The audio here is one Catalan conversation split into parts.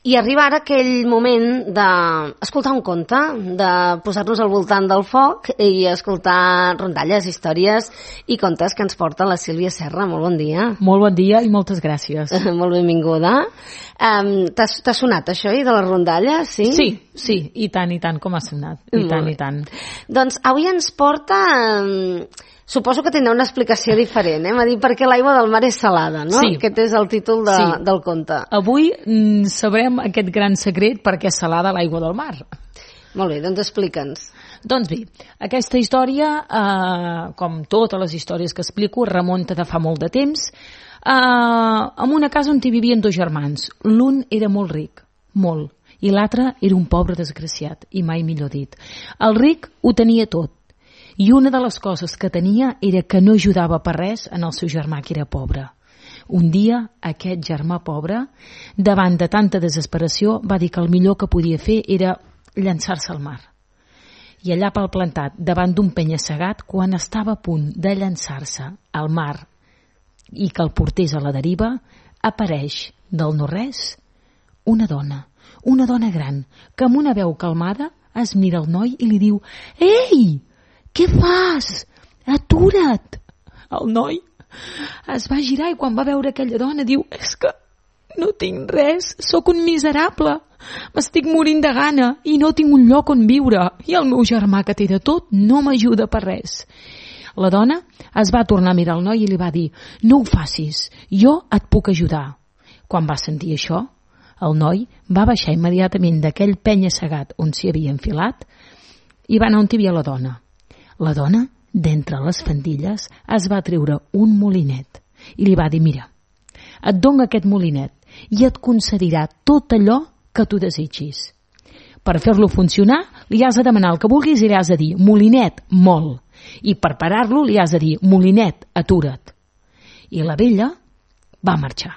I arriba ara aquell moment d'escoltar un conte, de posar-nos al voltant del foc i escoltar rondalles, històries i contes que ens porta la Sílvia Serra. Molt bon dia. Molt bon dia i moltes gràcies. Molt benvinguda. T'ha sonat això, de les rondalles? Sí, i tant com ha sonat. I tant. Doncs avui ens porta... Suposo que tindrà una explicació diferent, m'ha dit perquè l'aigua del mar és salada, no? Sí. Aquest és el títol del conte. Avui sabrem aquest gran secret perquè és salada l'aigua del mar. Molt bé, doncs explica'ns. Doncs bé, aquesta història, com totes les històries que explico, remunta de fa molt de temps, en una casa on hi vivien dos germans. L'un era molt ric, molt, i l'altre era un pobre desgraciat, i mai millor dit. El ric ho tenia tot, i una de les coses que tenia era que no ajudava per res en el seu germà que era pobre. Un dia, aquest germà pobre, davant de tanta desesperació, va dir que el millor que podia fer era llançar-se al mar. I allà pel plantat, davant d'un penya-segat, quan estava a punt de llançar-se al mar i que el portés a la deriva, apareix del no-res una dona gran, que amb una veu calmada es mira el noi i li diu: «Ei! Què fas? Atura't!» El noi es va girar i quan va veure aquella dona diu: «És que no tinc res, sóc un miserable, m'estic morint de gana i no tinc un lloc on viure i el meu germà que té de tot no m'ajuda per res». La dona es va tornar a mirar el noi i li va dir: «No ho facis, jo et puc ajudar». Quan va sentir això, el noi va baixar immediatament d'aquell penya-segat on s'hi havia enfilat i va anar on hi havia la dona. La dona, d'entre les faldilles, es va treure un molinet i li va dir: «Mira, et dono aquest molinet i et concedirà tot allò que tu desitgis. Per fer-lo funcionar, li has de demanar el que vulguis i li has de dir: molinet, mol. I per parar-lo li has de dir: molinet, atura't». I la vella va marxar.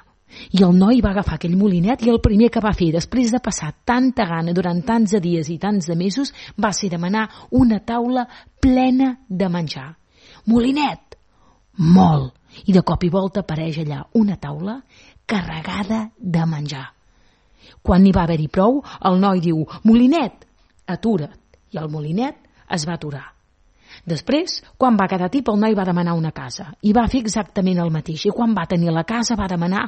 I el noi va agafar aquell molinet i el primer que va fer, després de passar tanta gana durant tants de dies i tants de mesos, va ser demanar una taula plena de menjar. Molinet, molt. I de cop i volta apareix allà una taula carregada de menjar. Quan n'hi va haver-hi prou, el noi diu: «Molinet, atura't». I el molinet es va aturar. Després, quan va quedar tip, el noi va demanar una casa i va fer exactament el mateix. I quan va tenir la casa va demanar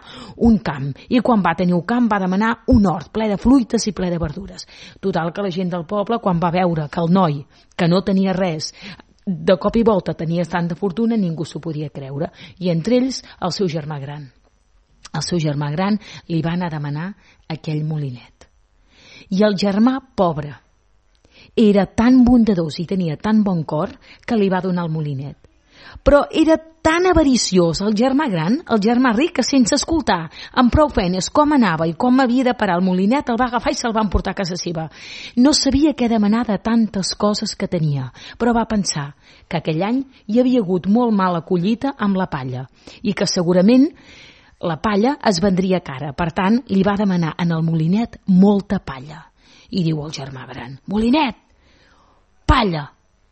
un camp i quan va tenir un camp va demanar un hort ple de fruites i ple de verdures. Total, que la gent del poble, quan va veure que el noi, que no tenia res, de cop i volta tenia tanta fortuna, ningú s'ho podia creure. I entre ells el seu germà gran. El seu germà gran li va anar a demanar aquell molinet. I el germà pobre era tan bondadós i tenia tan bon cor que li va donar el molinet. Però era tan avariciós el germà gran, el germà ric, que sense escoltar amb prou feines com anava i com havia de parar el molinet, el va agafar i se'l va emportar a casa seva. No sabia què demanar de tantes coses que tenia, però va pensar que aquell any hi havia hagut molt mala collita amb la palla i que segurament la palla es vendria cara. Per tant, li va demanar en el molinet molta palla. I diu el germà gran: «Molinet, palla,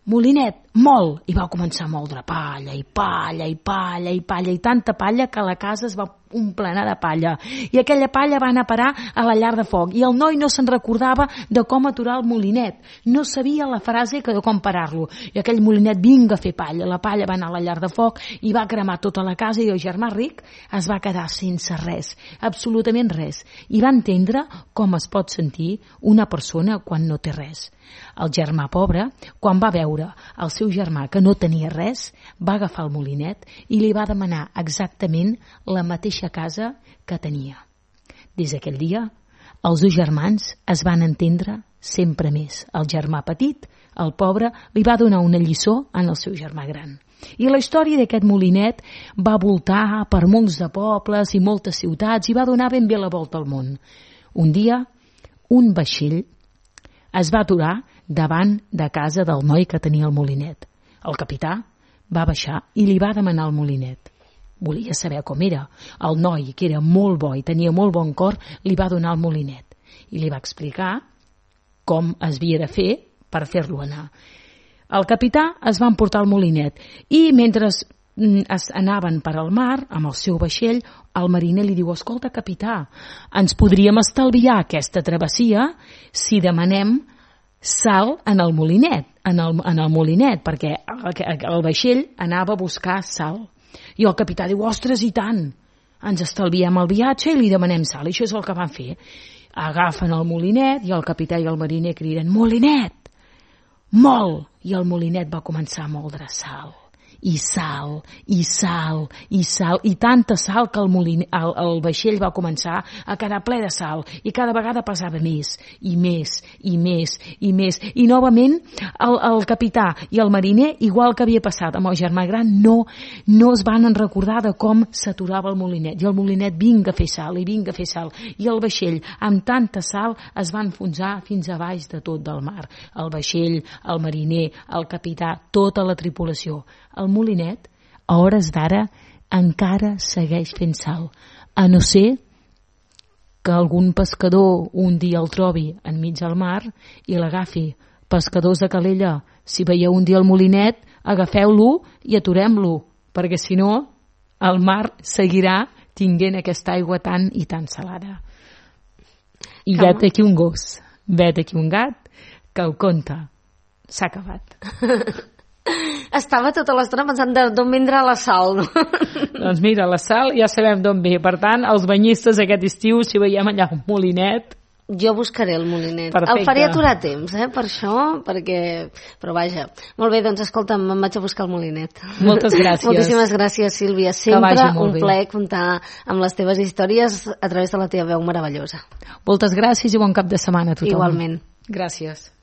molinet, molt». I va començar a moldre palla i palla i palla i palla i tanta palla que la casa es va omplenar de palla. I aquella palla va anar a parar a la llar de foc i el noi no se'n recordava de com aturar el molinet. No sabia la frase que de com parar-lo. I aquell molinet, vinga a fer palla. La palla va anar a la llar de foc i va cremar tota la casa i el germà ric es va quedar sense res, absolutament res. I va entendre com es pot sentir una persona quan no té res. El germà pobre, quan va veure el seu germà que no tenia res, va agafar el molinet i li va demanar exactament la mateixa casa que tenia. Des d'aquell dia, els dos germans es van entendre sempre més. El germà petit, el pobre, li va donar una lliçó en el seu germà gran. I la història d'aquest molinet va voltar per molts de pobles i moltes ciutats i va donar ben bé la volta al món. Un dia, un vaixell es va aturar davant de casa del noi que tenia el molinet. El capità va baixar i li va demanar el molinet. Volia saber com era. El noi, que era molt bo i tenia molt bon cor, li va donar el molinet i li va explicar com es havia de fer per fer-lo anar. El capità es va emportar el molinet i mentre anaven per al mar amb el seu vaixell, el mariner li diu: escolta, capità, ens podríem estalviar aquesta travessia si demanem sal en el molinet, perquè el vaixell anava a buscar sal. I el capità diu: ostres, i tant, ens estalviem el viatge i li demanem sal. I això és el que van fer. Agafen el molinet i el capità i el mariner criden: molinet, mol! I el molinet va començar a moldre sal. I sal, i sal, i sal, i tanta sal que el vaixell va començar a quedar ple de sal, i cada vegada pesava més, i més, i més, i més. I novament el capità i el mariner, igual que havia passat amb el germà gran, no es van recordar de com s'aturava el molinet. I el molinet vinga a fer sal, i vinga a fer sal. I el vaixell, amb tanta sal, es va enfonsar fins a baix de tot del mar. El vaixell, el mariner, el capità, tota la tripulació. El molinet, a hores d'ara, encara segueix fent sal, a no ser que algun pescador un dia el trobi enmig del mar i l'agafi. Pescadors de Calella, si veieu un dia el molinet, agafeu-lo i aturem-lo, perquè si no el mar seguirà tinguent aquesta aigua tan i tan salada. I vet aquí un gos, vet aquí un gat, que el conte s'ha acabat. Estava tota l'estona pensant d'on vindrà la sal, no? Doncs mira, la sal ja sabem d'on ve. Per tant, els banyistes aquest estiu, si veiem allà un molinet... Jo buscaré el molinet. Perfecte. El faré aturar a temps, per això, perquè... Però vaja. Molt bé, doncs escolta'm, em vaig a buscar el molinet. Moltes gràcies. Moltíssimes gràcies, Sílvia. Sempre un plaer comptar amb les teves històries a través de la teva veu meravellosa. Moltes gràcies i bon cap de setmana a tothom. Igualment. Gràcies.